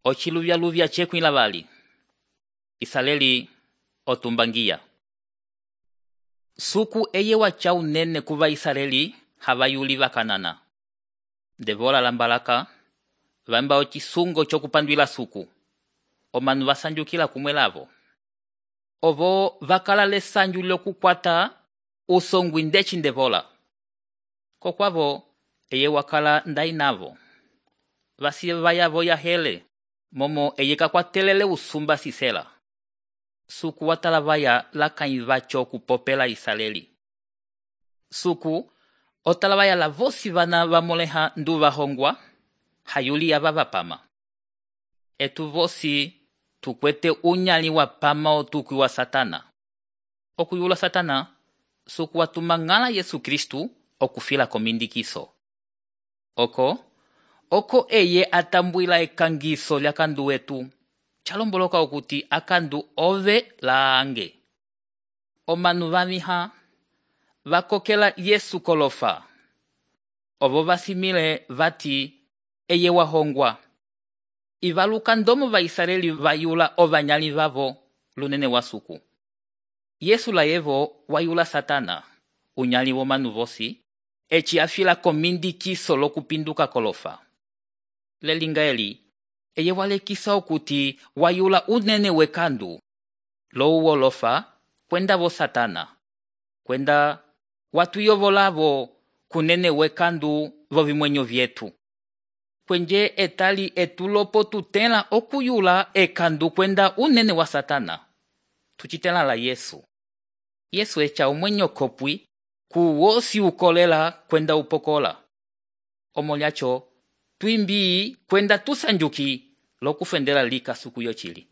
Ochiluvya chekwila vali. Isaleli otumbangia. Suku eye wacha unene kuva Isaleli havayuli vakanana. Devola lambalaka, vamba ochisungo chokupandwila suku. Omanu vasanjukila kumwe lavo. Ovo vakala lesanju lyokukwata usongwi ndechi ndevola. Kokwavo eye wakala ndainavo. Vasi vayavo ya hele, momo eye kakwatelele usumba sisela. Suku watala vaya lakaivacho kupopela Isaleli. Suku otala vaya la vosi vana vamoleha nduva hongwa, hayuli ya vavapama. Etu vosi tukwete unyali wa pama otukwi wa Satana. Okuyula Satana, suku watumangala Yesu Kristu okufila komindikiso. Oko eye atambuila ekangiso lya kandu wetu. Chalomboloka okuti akandu ove laange. Omanu vamiha vakokela Yesu kolofa. Ovo vasimile vati eye wahongwa. Ivaluka ndomo va Israeli vayula ovanyali vavo lunene wa suku. Yesu la yevo wayula Satana, unyali womanu vosi, echi afila komindikiso lokupinduka kolofa. Lelinga eli, eye walekisa okuti wayula unene wekandu, lo uwolofa, kwenda vo Satana, kwenda watu yovolavo kunene wekandu vo vimwenyo vyetu. Kwenje etali etulopo tutela okuyula ekandu kwenda unene wa Satana. Tuchitela la Yesu. Yesu echa umwenyo kopwi kuwosi ukolela kwenda upokola. Omolyacho, tuimbii kwenda tusanjuki lokufendela lika suku yochili.